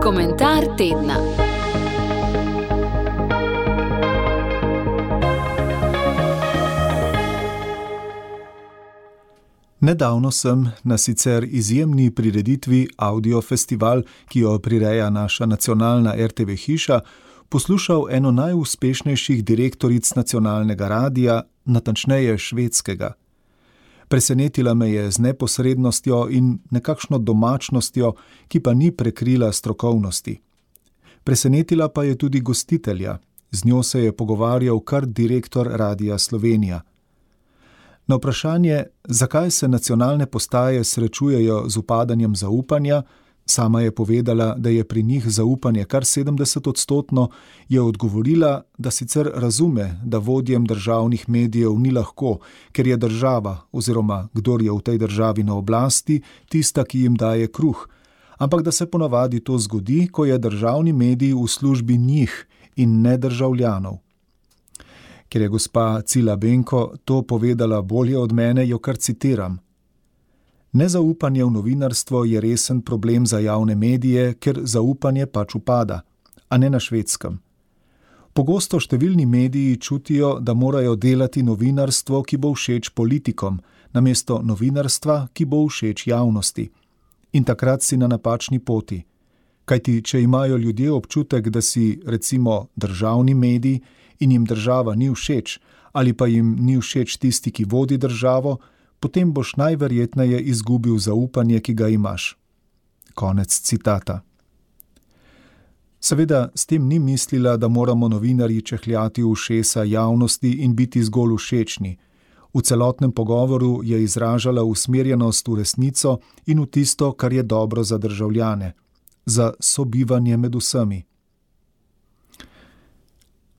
Komentar tedna. Nedavno sem na sicer izjemni prireditvi Audio Festival, ki jo prireja naša nacionalna RTV hiša, poslušal eno najuspešnejših direktoric nacionalnega radia, natančneje švedskega. Presenetila me je z neposrednostjo in nekakšno domačnostjo, ki pa ni prekrila strokovnosti. Presenetila pa je tudi gostitelja, z njo se je pogovarjal kar direktor Radia Slovenija. Na vprašanje, zakaj se nacionalne postaje srečujejo z upadanjem zaupanja, sama je povedala, da je pri njih zaupanje kar 70%, je odgovorila, da sicer razume, da vodjem državnih medijev ni lahko, ker je država oziroma kdor je v tej državi na oblasti, tista, ki jim daje kruh, ampak da se ponavadi to zgodi, ko je državni medij v službi njih in ne državljanov. Ker je gospa Cila Benko to povedala bolje od mene, jo kar citiram. Nezaupanje v novinarstvo je resen problem za javne medije, ker zaupanje pač upada, a ne na Švedskem. Pogosto številni mediji čutijo, da morajo delati novinarstvo, ki bo všeč politikom, namesto novinarstva, ki bo všeč javnosti. In takrat si na napačni poti. Kajti, če imajo ljudje občutek, da si, recimo, državni medij in jim država ni všeč, ali pa jim ni všeč tisti, ki vodi državo, potem boš najverjetneje izgubil zaupanje, ki ga imaš. Konec citata. Seveda, s tem ni mislila, da moramo novinarji čehljati v ušesa javnosti in biti zgolj všečni. V celotnem pogovoru je izražala usmerjenost v resnico in v tisto, kar je dobro za državljane, za sobivanje med vsemi.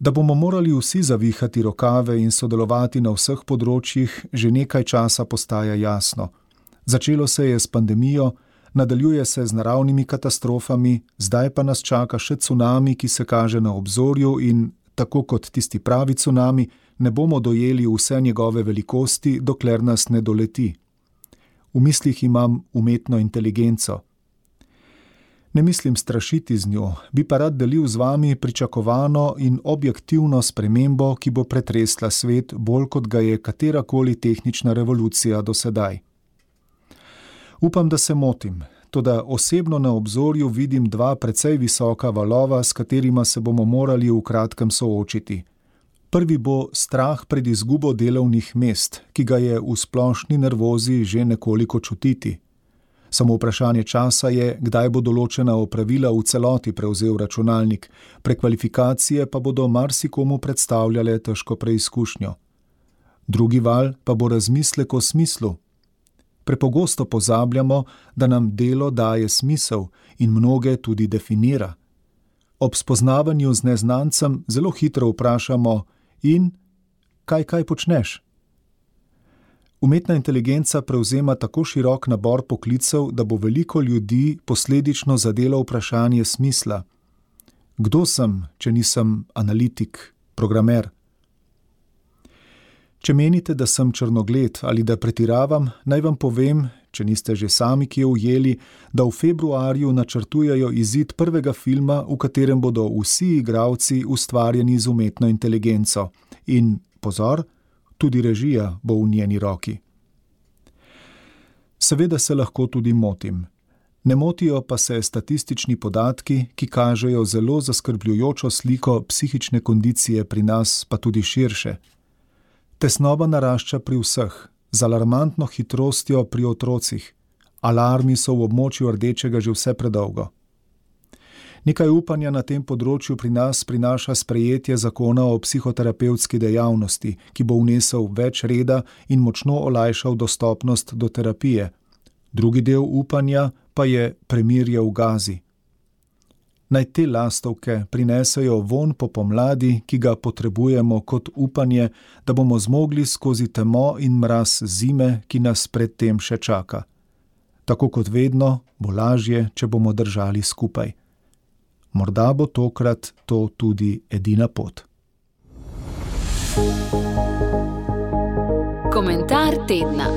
Da bomo morali vsi zavihati rokave in sodelovati na vseh področjih, že nekaj časa postaja jasno. Začelo se je s pandemijo, nadaljuje se z naravnimi katastrofami, zdaj pa nas čaka še cunami, ki se kaže na obzorju in, tako kot tisti pravi cunami, ne bomo dojeli vse njegove velikosti, dokler nas ne doleti. V mislih imam umetno inteligenco. Ne mislim strašiti z njo, bi pa rad delil z vami pričakovano in objektivno spremembo, ki bo pretresla svet bolj kot ga je katerakoli tehnična revolucija do sedaj. Upam, da se motim, toda osebno na obzorju vidim dva precej visoka valova, s katerima se bomo morali v kratkem soočiti. Prvi bo strah pred izgubo delovnih mest, ki ga je v splošni nervozi že nekoliko čutiti. Samo vprašanje časa je, kdaj bo določena opravila v celoti prevzel računalnik, prekvalifikacije pa bodo marsikomu predstavljale težko preizkušnjo. Drugi val pa bo razmislek o smislu. Prepogosto pozabljamo, da nam delo daje smisel in mnoge tudi definira. Ob spoznavanju z neznancem zelo hitro vprašamo: in kaj počneš? Umetna inteligenca prevzema tako širok nabor poklicev, da bo veliko ljudi posledično zadelo vprašanje smisla. Kdo sem, če nisem analitik, programer? Če menite, da sem črnogled ali da pretiravam, naj vam povem, če niste že sami kje ujeli, da v februarju načrtujejo izid prvega filma, v katerem bodo vsi igralci ustvarjeni z umetno inteligenco. In, pozor, tudi režija bo v njeni roki. Seveda se lahko tudi motim. Ne motijo pa se statistični podatki, ki kažejo zelo zaskrbljujočo sliko psihične kondicije pri nas, pa tudi širše. Tesnoba narašča pri vseh, z alarmantno hitrostjo pri otrocih. Alarmi so v območju rdečega že vse predolgo. Nekaj upanja na tem področju pri nas prinaša sprejetje zakona o psihoterapevtski dejavnosti, ki bo vnesel več reda in močno olajšal dostopnost do terapije. Drugi del upanja pa je premirje v Gazi. Naj te lastovke prinesejo vonj po pomladi, ki ga potrebujemo kot upanje, da bomo zmogli skozi temo in mraz zime, ki nas pred tem še čaka. Tako kot vedno, bo lažje, če bomo držali skupaj. Morda bo tokrat to tudi edina pot. Komentar tedna.